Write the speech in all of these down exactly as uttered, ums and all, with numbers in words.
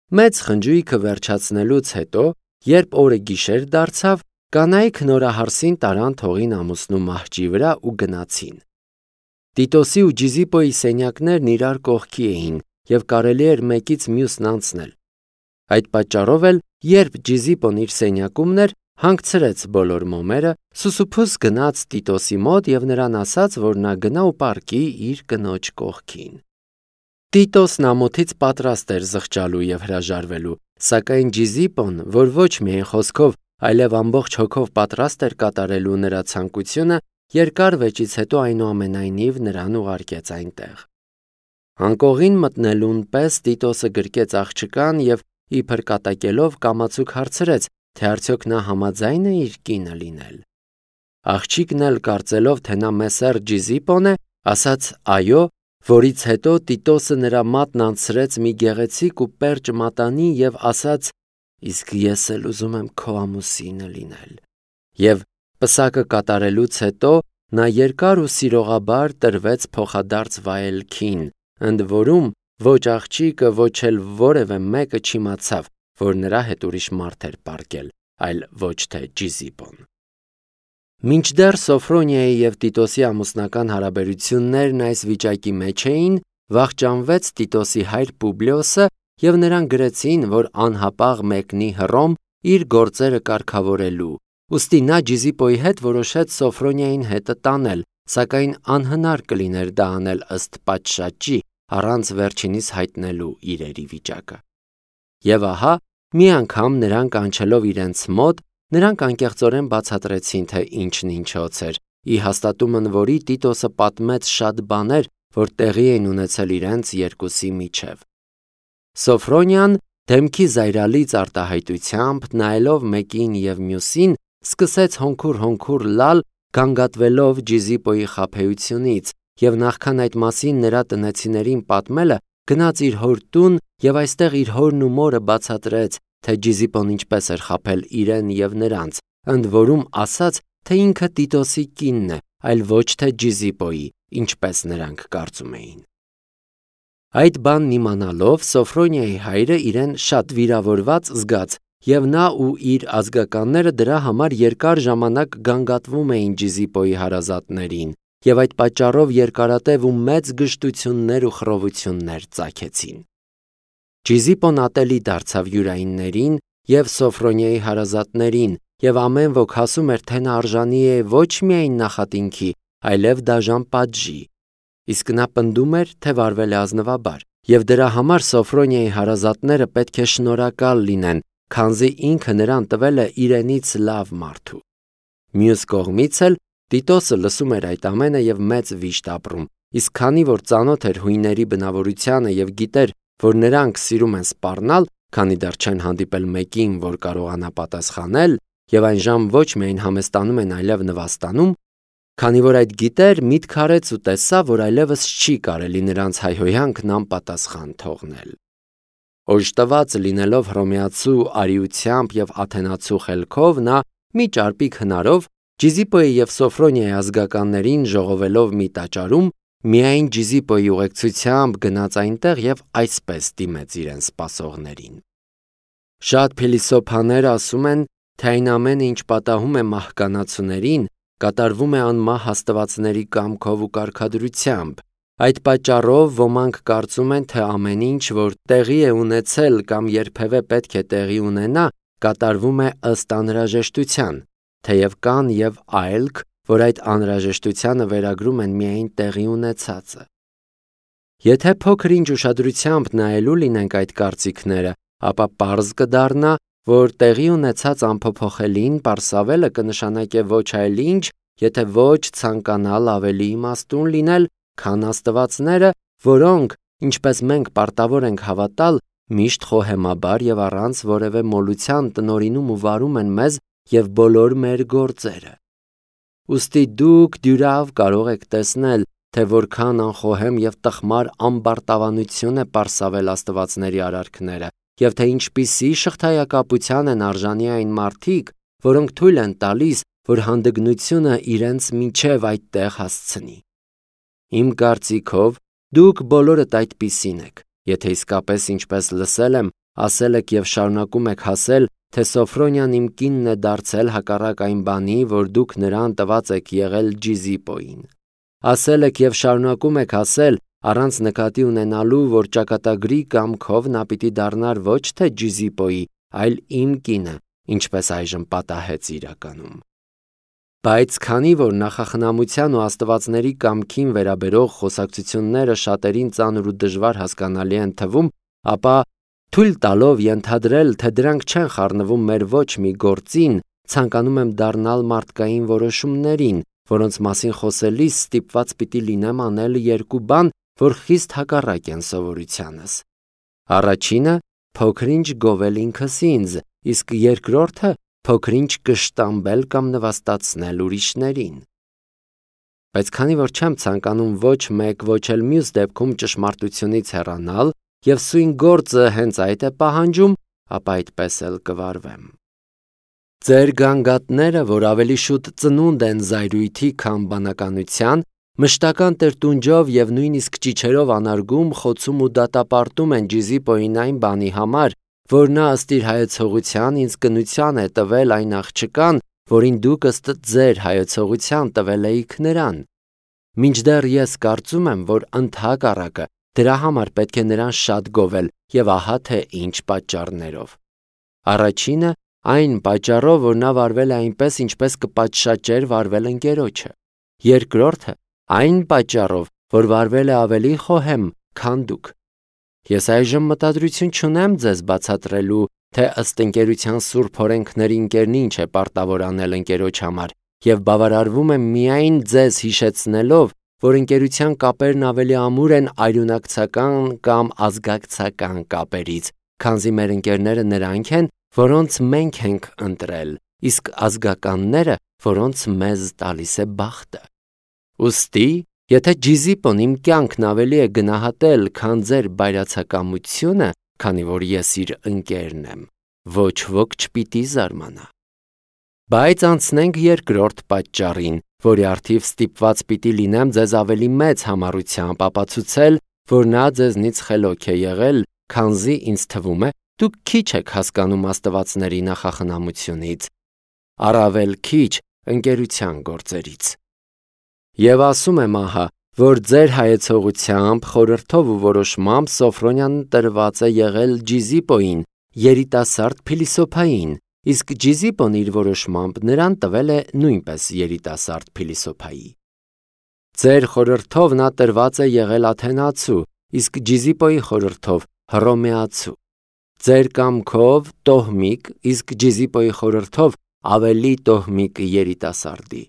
Մեծ խնջույքը վերջացնելուց հետո, երբ օրը գիշեր դարձավ, կանայք նորահարսին տարան թողին ամուսնու մահճի վրա ու գնացին։ Տիտոսի ու Ջիզիպոյի սենյակներն իրար կողքի էին և կարելի էր մեկից մյուսն անցնել։ Այդ պատճառով էլ, երբ Ջիզիպոն իր սենյակումն էր, հանգցրեց բոլոր մոմերը, սուսուփուս գնաց Տիտոսի մոտ և նրան ասաց, որ նա գնա ու պառկի իր կնոջ կողքին։ Տիտոսն ամոթից պատրաստ էր զղջալու և հրաժարվելու, սակայն Ջիզիպոն, որ ոչ միայն խոսքով, այլև ամբողջ հոգով պատրաստ էր կատարելու նրա ցանկությունը, երկար վեճից հետո այնուամենայնիվ նրան ուղարկեց այնտեղ։ Անկողին մտնելուն պես Տիտոսը գրկեց աղջկան և իբր կատակելով կամացուկ հարցրեց, թե արդյոք նա համաձայն է իր կինը լինել։ Աղջիկն էլ կարծելով, թե նա մեսեր Ջիզիպոն է, ասաց այո, որից հետո Տիտոսը նրա մատն անցրեց մի գեղեցիկ ու պերճ մատանի և ասաց. «Իսկ ես էլ ուզում եմ քո ամուսինը լինել»։ Եվ պսակը կատարելուց հետո նա երկար ու սիրողաբար տրվեց փոխադարձ վայելքին, ընդ որում ոչ աղջիկը, ոչ էլ որևէ մեկը չիմացավ, որ նրա հետ ուրիշ մարդ էր պառկել, այլ ոչ թե Ջիզիպոն։ Մինչդեռ Սոֆրոնիայի և Տիտոսի ամուսնական հարաբերություններն այս վիճակի մեջ էին, վախճանվեց Տիտոսի հայր Պուբլիոսը և նրան գրեցին, որ անհապաղ մեկնի Հռոմ իր գործերը կարգավորելու, ուստի նա Ջիզիպոյի հետ որոշեց Սոֆրոնիային հետը տանել, սակայն անհնար կլիներ դա անել ըստ պատշաճի, առանց վերջինիս հայտնելու իրերի վիճակը։ Եվ ահա, մի անգամ նրան կանչելով իրենց մոտ, նրանք անկեղծորեն բացատրեցին, թե ինչն ինչոց էր, ի հաստատումն որի Տիտոսը պատմեց շատ բաներ, որ տեղի էին ունեցել իրենց երկուսի միջև։ Սոֆրոնիան դեմքի զայրալից արտահայտությամբ, նայելով մեկին և մյուսին, սկսեց հոնքուր-հոնքուր լալ, գանգատվելով Ջիզիպոյի խաբեությունից, և նախքան այդ մասին նրա տնեցիներին պատմելը, գնաց իր հոր տուն և այստեղ իր հորն ու մորը բացատրեց, թե Ջիզիպոն ինչպես էր խաբել իրեն և նրանց, ընդ որում ասաց, թե ինքը Տիտոսի կինն է, այլ ոչ թե Ջիզիպոյի, ինչպես նրանք կարծում էին։ Այդ բանն իմանալով, Սոֆրոնիայի հայրը իրեն շատ վիրավորված զգաց, և նա ու իր ազգականները դրա համար երկար ժամանակ գանգատվում էին Ջիզիպոյի հարազատներին, և այդ պատճառով երկարատև ու մեծ գժտություններ ու խռովություններ ծագեցին։ Ջիզիպոն ատելի դարձավ յուրայիններին և Սոֆրոնիայի հարազատներին, և ամեն ոք ասում էր, թե նա արժանի է ոչ միայն նախատինքի, այլև դաժան պատժի։ Իսկ նա պնդում էր, թե վարվել է ազնվաբար, և դրա համար Սոֆրոնիայի հարազատները պետք է շնորհակալ լինեն, քանզի ինքը նրան տվել է իրենից լավ մարդու։ Մյուս կողմից էլ Տիտոսը լսում էր այդ ամենը և մեծ վիշտ ապրում, իսկ քանի որ ծանոթ էր հույների բնավորությանը և գիտեր, որ նրանք սիրում են սպառնալ, քանի դեռ չեն հանդիպել մեկին, որ կարողանա պատասխանել, և այնժամ ոչ միայն համեստանում են, այլև նվաստանում, քանի որ այդ գիտեր, միտք արեց ու տեսավ, որ այլևս չի կարելի նրանց հայհոյանքն անպատասխան թողնել։ Օժտված լինելով հռոմեացու արիությամբ և աթենացու խելքով, նա մի ճարպիկ հնարով Ջիզիպոյի և Սոֆրոնիայի ազգականներին ժողովելով մի տաճարում, միայն Ջիզիպոյի ուղեկցությամբ գնաց այնտեղ և այսպես դիմեց իրեն սպասողներին. Շատ փիլիսոփաներ ասում են, թե այն ամենը, ինչ պատահում է մահկանացուներին, կատարվում է անմահ աստվածների կամքով ու կարգադրությամբ։ Այդ պատճառով ոմանք կարծում են, թե ամեն ինչ, որ տեղի է ունեցել կամ երբևէ պետք է տեղի ունենա, կատարվում է ըստ անհրաժեշտության, թեև կան և այլք, որ այդ անհրաժեշտությանը վերագրում են միայն տեղի ունեցածը։ Եթե փոքր-ինչ ուշադրությամբ նայելու լինենք այդ կարծիքները, ապա պարզ կդառնա, որ տեղի ունեցած անփոփոխելին պարսավելը կնշանակե ոչ այլ ինչ, եթե ոչ ցանկանալ ավելի իմաստուն լինել, քան աստվածները, որոնք, ինչպես մենք պարտավոր ենք հավատալ, միշտ խոհեմաբար և առանց որևէ մոլության տնօրինում ու վարում են մեզ և բոլոր մեր գործերը։ Ուստի դուք դյուրավ կարող եք տեսնել, թե որքան անխոհեմ և տխմար ամբարտավանություն է պարսավել աստվածների արարքները, և թե ինչպիսի շղթայակապության են արժանի այն մարդիկ, որոնք թույլ են տալիս, որ հանդգնությունը իրենց միջև այդտեղ հասցնի։ Իմ կարծիքով, դուք բոլորդ այդպիսին եք, եթե իսկապես ինչպես լսել եմ, ասել եք և շարունակում եք ասել, թե Սոֆրոնյան իմ կինն է դարձել հակառակ այն բանի, որ դուք նրան տված եք եղել Ջիզիպոյին։ Ասել եք և շարունակում եք ասել, առանց նկատի ունենալու, որ ճակատագրի կամքով նա պիտի դառնար ոչ թե Ջիզիպոյի, այլ իմ կինը, ինչպես այժմ պատահեց իրականում։ Բայց քանի որ նախախնամության ու աստվածների կամքին վերաբերող խոսակցությունները շատերին ծանր ու դժվար հասկանալի են թվում, ապա թույլ տալով ենթադրել, թե դրանք չեն խառնվում մեր ոչ մի գործին, ցանկանում եմ դառնալ մարդկային որոշումներին, որոնց մասին խոսելիս ստիպված պիտի լինեմ անել երկու բան, որ խիստ հակառակ են սովորությանս։ Առաջինը փոքր-ինչ գովել ինքս ինձ, իսկ երկրորդը փոքր-ինչ կշտամբել կամ նվաստացնել ուրիշներին։ Բայց քանի որ չեմ ցանկանում ոչ մեկ, ոչ էլ մյուս դեպքում ճշմարտությունից հեռանալ, և սույն գործը հենց այդ է պահանջում, ապա այդպես էլ կվարվեմ։ Ձեր գանգատները, որ ավելի շուտ ծնունդ են զայրույթի, քան բանականության, մշտական տրտունջով և նույնիսկ ճիչերով անարգում, խոցում ու դատապարտում են Ջիզիպոյին այն բանի համար, որ նա ըստ իր հայեցողության ինձ կնության է տվել այն աղջկան, որին դուք ըստ ձեր հայեցողության տվել էիք նրան։ Մինչդեռ ես կարծում եմ, որ ընդհակառակը դրա համար պետք է նրան շատ գովել, և ահա թե ինչ պատճառներով։ Առաջինը այն պատճառով, որ նա վարվել է այնպես, ինչպես կպատշաճեր վարվել ընկերոջը։ Երկրորդը այն պատճառով, որ վարվել է ավելի խոհեմ, քան դուք։ Ես այժմ մտադրություն չունեմ ձեզ բացատրելու, թե ըստ ընկերության սուրբ օրենքների ընկերն ինչ է պարտավոր անել ընկերոջ համար, և բավարարվում եմ միայն ձեզ հիշեցնելով, որ ընկերության կապերն ավելի ամուր են արյունակցական կամ ազգակցական կապերից, քանզի մեր ընկերները նրանք են, որոնց մենք ենք ընտրել, իսկ ազգականները, որոնց մեզ տալիս է բախտը։ Ուստի, եթե Ջիզիպոն իմ կյանքն ավելի է գնահատել, քան ձեր բայրացակամությունը, քանի որ ես իր ընկերն եմ, ոչ ոք չպիտի զարմանա։ Բայց անցնենք երկրորդ պատճառին, որի առթիվ ստիպված պիտի լինեմ ձեզ ավելի մեծ համառությամբ ապացուցել, որ նա ձեզնից խելոք է եղել, քանզի ինձ թվում է, դուք քիչ եք հասկանում աստվածների նախախնամությունից, առավել քիչ ընկերության գործերից։ Եվ ասում եմ ահա, որ ձեր հայեցողությամբ, խորհրդով ու որոշմամբ Սոֆրոնյան տրված է եղել Ջիզիպոյին, երիտասարդ փիլիսոփային, իսկ Ջիզիպոն իր որոշմամբ նրան տվել է նույնպես երիտասարդ փիլիսոփայի։ Ձեր խորհրդով նա տրված է եղել աթենացու, իսկ Ջիզիպոյի խորհրդով հռոմեացու։ Ձեր կամքով տոհմիկ, իսկ Ջիզիպոյի խորհրդով ավելի տոհմիկ երիտասարդի։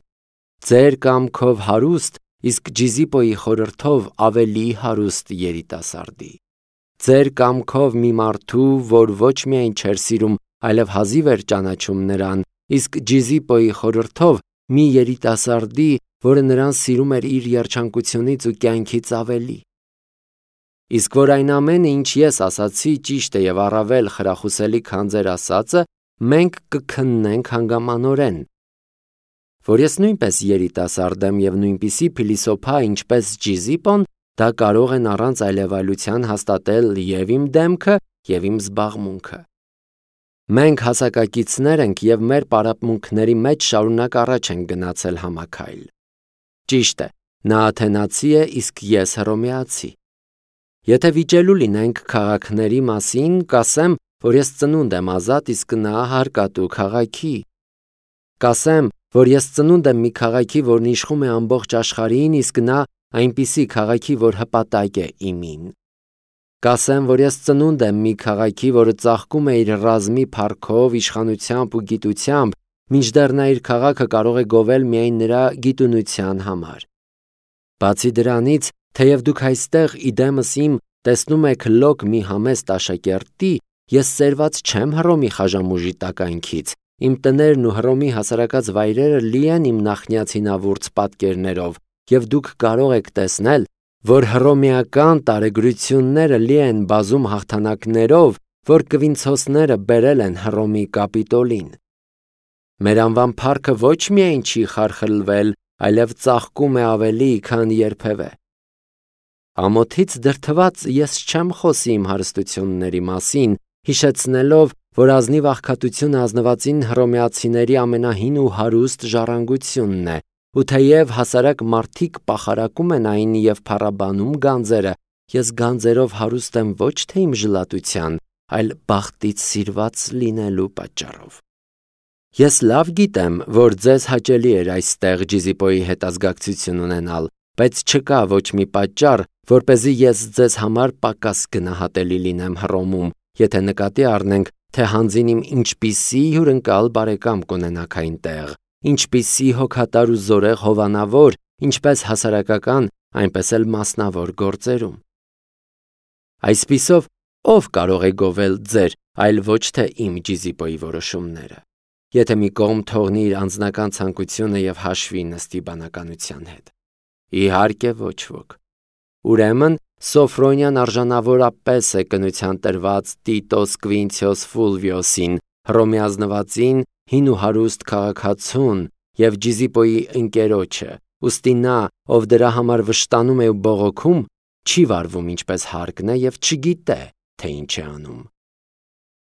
Ձեր կամքով հարուստ, իսկ Ջիզիպոյի խորհրդով ավելի հարուստ երիտասարդի։ Ձեր կամքով մի մարդու, որ ոչ միայն չէր սիրում, այլև հազիվ էր ճանաչում նրան, իսկ Ջիզիպոյի խորհրդով մի երիտասարդի, որը նրան սիրում էր իր երջանկությունից ու կյանքից ավելի։ Իսկ որ այն ամենը, ինչ ես ասացի, ճիշտ է և առավել խրախուսելի, քան ձեր ասածը, մենք կքննենք հանգամանորեն։ Որ ես նույնպես երիտասարդ եմ և նույնպիսի փիլիսոփա, ինչպես Ջիզիպոն, դա կարող են առանց այլևայլության հաստատել և իմ դեմքը, և իմ զբաղմունքը։ Մենք հասակակիցներ ենք և մեր պարապմունքների մեջ շարունակ առաջ ենք գնացել համաքայլ։ Ճիշտ է, նա աթենացի է, իսկ ես հռոմեացի։ Եթե վիճելու լինենք քաղաքների մասին, կասեմ, որ ես ծնունդ եմ ազատ, իսկ նա հարկատու քաղաքի։ Կասեմ, որ ես ծնունդ եմ մի քաղաքի, որն իշխում է ամբողջ աշխարհին, իսկ նա այնպիսի քաղաքի, որ հպատակ է իմին։ Կասեմ, որ ես ծնունդ եմ մի քաղաքի, որը ծաղկում է իր ռազմի փառքով, իշխանությամբ ու գիտությամբ, մինչդեռ նա իր քաղաքը կարող է գովել միայն նրա գիտունության համար։ Բացի դրանից, թեև դուք այստեղ իդեմս իմ տեսնում եք լոկ մի համեստ աշակերտի, ես սերված չեմ Հռոմի խաժամուժի տականքից, իմ տներն ու Հռոմի հասարակած վայրերը լի են իմ նախնյացինավուրց պատկերներով, և դուք կարող եք տեսնել, որ հռոմեական տարեգրությունները լի են բազում հաղթանակներով, որ կվինցոսները բերել են Հռոմի կապիտոլին։ Մեր անվան փառքը ոչ միայն չի խարխլվել, այլև ծաղկում է ավելի, քան երբևէ։ Ամոթից դրդված ես չեմ խոսի իմ հարստությունների մասին, հիշեցնելով, որ ազնիվ աղքատությունը ազնվածին հռոմեացիների ամենահին ու հարուստ ժառանգությունն է, ու թեև հասարակ մարդիկ պախարակում են այն և փառաբանում գանձերը, ես գանձերով հարուստ եմ ոչ թե իմ ժլատության, այլ բախտից սիրված լինելու պատճառով։ Ես լավ գիտեմ, որ ձեզ հաճելի էր այստեղ Ջիզիպոյի հետ ազգակցություն ունենալ, բայց չկա ոչ մի պատճառ, որպեսզի ես ձեզ համար պակաս գնահատելի լինեմ Հռոմում, եթե նկատի առնենք, թե հանձին իմ ինչպիսի հյուրընկալ բարեկամ կունենաք այնտեղ, ինչպիսի հոգատար ու զորեղ հովանավոր, ինչպես հասարակական, այնպես էլ մասնավոր գործերում։ Այսպիսով, ով կարող է գովել ձեր, այլ ոչ թե իմ Ջիզիպոյի որոշումները։ Եթե մի կողմ թողնի իր անձնական ցանկությունը և հաշվի նստի բանականության հետ։ Իհարկե ոչ ոք։ Ուրեմն Սոֆրոնիան արժանավորապես է կնության տրված Տիտոս Կվինցիոս Ֆուլվիոսին, Հռոմի ազնվածին, հին ու հարուստ քաղաքացուն և Ջիզիպոյի ընկերոջը, ուստի նա, ով դրա համար վշտանում է ու բողոքում, չի վարվում ինչպես հարկն է և չգիտե, թե ինչ է անում։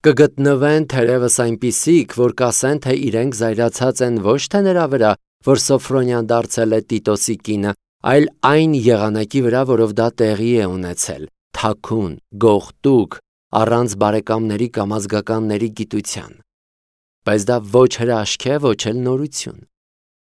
Կգտնվեն թերևս այնպիսիք, որ կասեն, թե իրենք զայրացած են ոչ թե նրա վրա, որ Սոֆրոնիան դարձել է Տիտոսի կինը, այլ այն եղանակի վրա, որով դա տեղի է ունեցել, թաքուն, գողտուկ, առանց բարեկամների կամ ազգականների գիտության։ Բայց դա ոչ հրաշք է, ոչ էլ նորություն։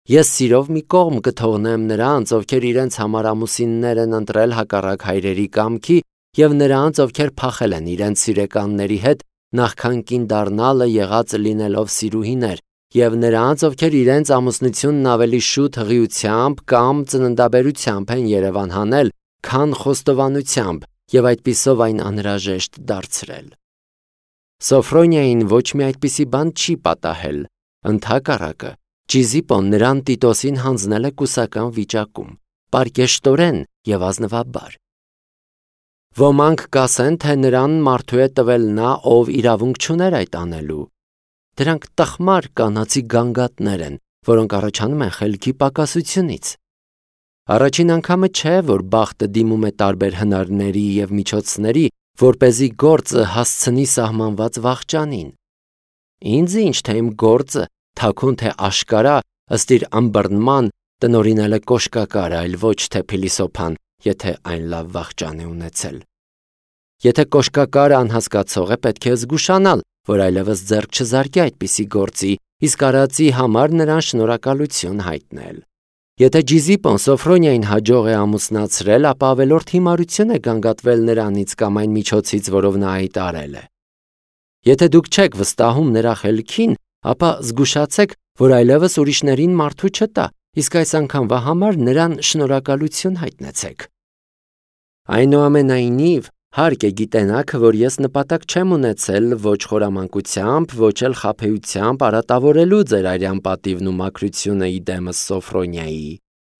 Ես սիրով մի կողմ կթողնեմ նրանց, ովքեր իրենց համար ամուսիններ են ընտրել հակառակ հայրերի կամքի, և նրանց, ովքեր փախել են իրենց սիրեկանների հետ, նախքան կին դառնալը եղած լինելով սիրուհիներ, և նրանց, ովքեր իրենց ամուսնությունն ավելի շուտ հղիությամբ կամ ծննդաբերությամբ են երևան հանել, քան խոստովանությամբ, և այդպիսով այն անհրաժեշտ դարձրել։ Սոֆրոնիային ոչ մի այդպիսի բան չի պատահել, ընդհակառակը, Ջիզիպոն նրան Տիտոսին հանձնել է կուսական վիճակում, պարկեշտորեն և ազնվաբար։ Ոմանք կասեն, թե նրան մարդու է տվել նա, ով իրավունք չուներ այդ անելու։ Դրանք տխմար կանացի գանգատներ են, որոնք առաջանում են խելքի պակասությունից։ Առաջին անգամը չէ, որ բախտը դիմում է տարբեր հնարների և միջոցների, որպեսզի գործը հասցնի սահմանված վախճանին։ Ինձ ինչ թե իմ գործը, թաքուն թե աշկարա, ըստ իր ըմբռնման, տնօրինել է կոշկակարը, այլ ոչ թե փիլիսոփան, եթե այն լավ վախճան է ունեցել։ Եթե կոշկակարը անհասկացող է, պետք է զգուշանալ, որ այլևս ձեռք չզարկի այդպիսի գործի, իսկ արածի համար նրան շնորհակալություն հայտնել։ Եթե Ջիզիպոն Սոֆրոնիային հաջող է ամուսնացրել, ապա ավելորդ հիմարություն է գանգատվել նրանից կամ այն միջոցից, որով նա այդ արել է։ Եթե դուք չեք վստահում նրա խելքին, ապա զգուշացեք, որ այլևս ուրիշներին մարդու չտա, իսկ այս անգամվա համար նրան շնորհակալություն հայտնեցեք։ Այնուամենայնիվ, հարկ է գիտենաք, որ ես նպատակ չեմ ունեցել ոչ խորամանկությամբ, ոչ էլ խաբեությամբ արատավորելու ձեր արյան պատիվն ու մաքրությունը ի դեմս Սոֆրոնիայի,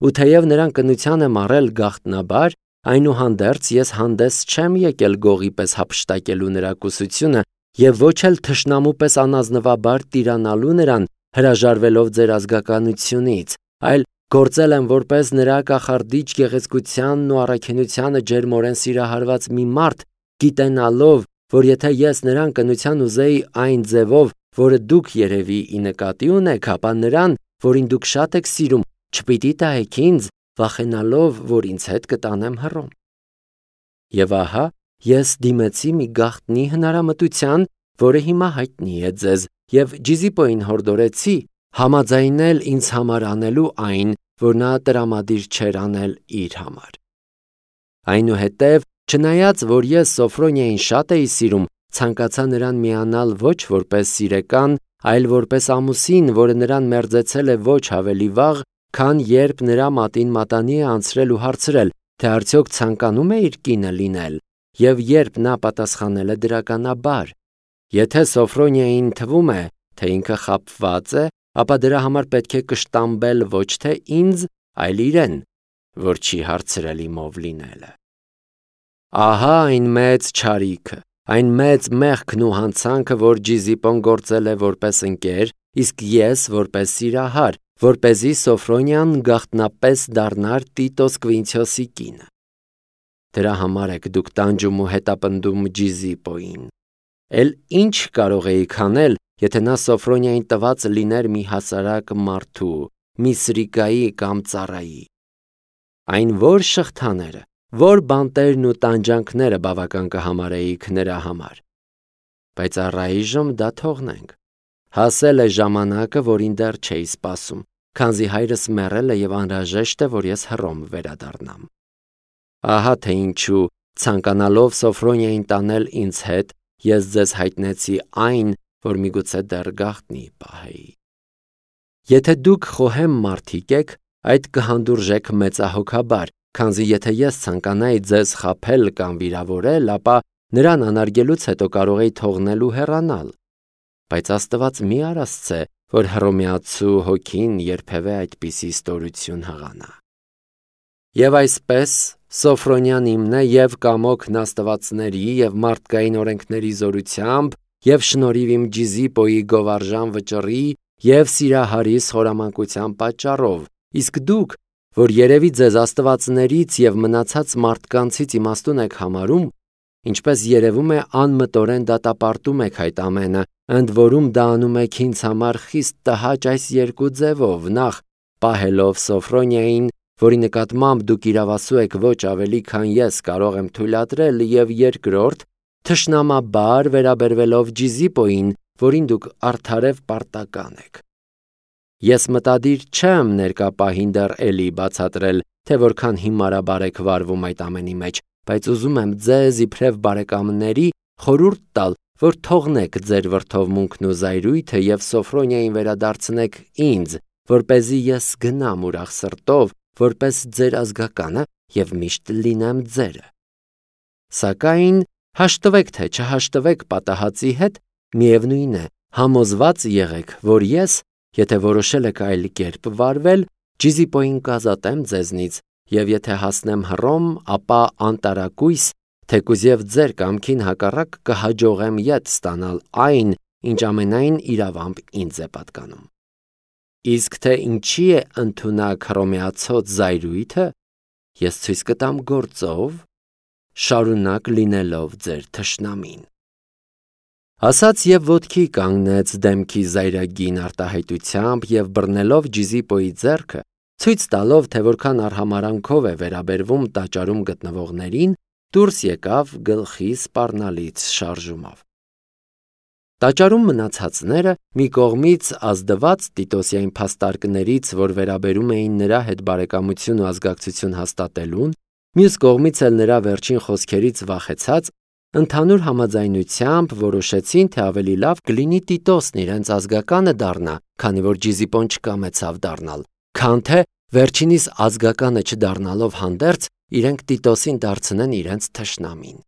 ու թեև նրան կնության եմ առել գաղտնաբար, այնուհանդերձ ես հանդես չեմ եկել գողի պես հափշտակելու նրա կուսությունը և ոչ էլ թշնամու պես անազնվաբար տիրանալու նրան, հրաժարվելով ձեր ազգականությունից, այլ գործել եմ որպես նրա կախարդիչ գեղեցկությանն ու առաքինությանը ջերմորեն սիրահարված մի մարդ, գիտենալով, որ եթե ես նրան կնության ուզեի այն ձևով, որը դուք երևի ի նկատի ունեք, ապա նրան, որին դուք շատ եք սիրում, չպիտի տահեք ինձ, վախենալով, որ ինձ հետ կտանեմ Հռոմ։ Եվ ահա, ես դիմեցի մի գաղտնի հնարամտության, որը հիմա հայտնի է ձեզ, և Ջիզիպոյին հորդորեցի համաձայնել ինձ համար անելու այն, որ նա տրամադիր չէր անել իր համար։ Այնուհետև, չնայած որ ես Սոֆրոնիային շատ էի սիրում, ցանկացա նրան միանալ ոչ որպես սիրեկան, այլ որպես ամուսին, որը նրան մերձեցել է ոչ ավելի վաղ, քան երբ նրա մատին մատանի է անցրել ու հարցրել, թե արդյոք ցանկանում է իր կինը լինել, և երբ նա պատասխանել է դրականաբար։ Եթե Սոֆրոնիային թվում է, թե ինքը խաբված է, ապա դրա համար պետք է կշտամբել ոչ թե ինձ, այլ իրեն, որ չի հարցրել իմով լինելը։ Ահա այն մեծ չարիքը, այն մեծ մեղքն ու հանցանքը, որ Ջիզիպոն գործել է որպես ընկեր, իսկ ես որպես սիրահար, որպեսզի Սոֆրոնիան գաղտնապես դառնար Տիտոս Կվինցիոսի կինը։ Դրա համար եք դուք տանջում ու հետապնդում Ջիզիպոյին։ Էլ ինչ կարող էիք անել, եթե նա Սոֆրոնիային տված լիներ մի հասարակ մարդու, մի սրիկայի կամ ծառայի։ Այն որ շղթաները, որ բանտերն ու տանջանքները բավական կհամարեիք նրա համար։ Բայց առայժմ դա թողնենք։ Հասել է ժամանակը, որին դեռ չէի սպասում, քանզի հայրս մեռել է եւ անհրաժեշտ է, որ ես Հռոմ վերադառնամ։ Ահա թե ինչու, ցանկանալով Սոֆրոնիային տանել ինձ հետ, ես ձեզ հայտնեցի այն, որ միգուցե դեռ գաղտնի պահեի։ Եթե դուք խոհեմ մարդիկ եք, այդ կհանդուրժեք մեծահոգաբար, քանզի եթե ես ցանկանայի ձեզ խաբել կամ վիրավորել, ապա նրան անարգելուց հետո կարող էի թողնել ու հեռանալ։ Բայց Աստված մի արասցե, որ հռոմեացու հոգին երբևէ այդպիսի ստորություն հղանա։ Եվ այսպես Սոֆրոնյան իմն է և կամոքն աստվածների և մարդկային օրենքների զորությամբ և շնորհիվ իմ Ջիզիպոյի գովարժան վճռի և սիրահարիս խորամանկության պատճառով, իսկ դուք, որ երևի ձեզ աստվածներից և մնացած մարդկանցից իմաստուն եք համարում, ինչպես երևում է անմտորեն դատապարտում եք այդ ամենը, ընդ որում դա անում եք ինձ համար խիստ տհաճ այս երկու ձևով, նախ պահելով Սոֆրոնիային, որի նկատմամբ դուք իրավասու եք ոչ ավելի, քան ես կարող եմ թույլատրել, և երկրորդ, թշնամաբար վերաբերվելով Ջիզիպոյին, որին դուք արդարև պարտական եք։ Ես մտադիր չեմ ներկա պահին դեռ էլի բացատրել, թե որքան հիմարաբար եք վարվում այդ ամենի մեջ, բայց ուզում եմ ձեզ իբրև բարեկամների խորհուրդ տալ, որ թողնեք ձեր վրդովմունքն ու զայրույթը և Սոֆրոնիային վերադարձնեք ինձ, որպեսզի ես գնամ ուրախ սրտով, որպես ձեր ազգականը և միշտ լինեմ ձերը։ Սակայն հաշտվեք թե չհաշտվեք պատահածի հետ, միևնույն է, համոզված եղեք, որ ես, եթե որոշել եք այլ կերպ վարվել, Ջիզիպոյին կազատեմ ձեզնից, և եթե հասնեմ Հռոմ, ապա անտարակույս, թեկուզև ձեր կամքին հակառակ կհաջողեմ ետ ստանալ այն, ինչ ամենայն իրավամբ ինձ է պատկանում։ Իսկ թե ինչի է ընդունակ հռոմեացոց զայրույթը, ես ցույց կտամ գործով, շարունակ լինելով ձեր թշնամին։ Ասաց և ոտքի կանգնեց դեմքի զայրագին արտահայտությամբ և բռնելով Ջիզիպոյի ձեռքը, ցույց տալով, թե որքան արհամարհանքով է վերաբերվում տաճարում գտնվողներին, դուրս եկավ գլխի սպառնալից շարժումով։ Տաճարում մնացածները, մի կողմից ազդված Տիտոսի այն փաստարկներից, որ վերաբերում էին նրա հետ բարեկամություն ու ազգակցություն հաստատելուն, մյուս կողմից էլ նրա վերջին խոսքերից վախեցած, ընդհանուր համաձայնությամբ որոշեցին, թե ավելի լավ կլինի Տիտոսն իրենց ազգականը դառնա, քանի որ Ջիզիպոն չկամեցավ դառնալ, քան թե վերջինիս ազգականը չդառնալով հանդերձ իրենք Տիտոսին դարձնեն իրենց թշնամին։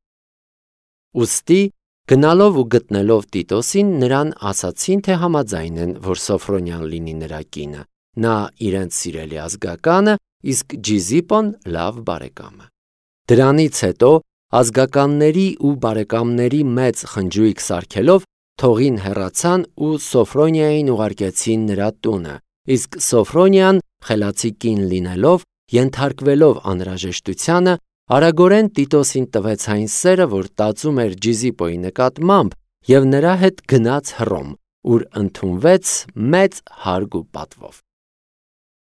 Ուստի գնալով ու գտնելով Տիտոսին, նրան ասացին, թե համաձայն են, որ Սոֆրոնյան լինի նրա կինը, նա իրենց սիրելի ազգականը, իսկ Ջիզիպոն լավ բարեկամը։ Դրանից հետո ազգականների ու բարեկամների մեծ խնջույք սարքելով թողին հեռացան ու Սոֆրոնիային ուղարկեցին նրա տունը, իսկ Սոֆրոնիան, խելացի կին լինելով, ենթարկվելով անհրաժեշտությանը, արագորեն Տիտոսին տվեց այն սերը, որ տածում էր Ջիզիպոյի նկատմամբ, և նրա հետ գնաց Հռոմ, ուր ընդունվեց մեծ հարգ ու պատվով։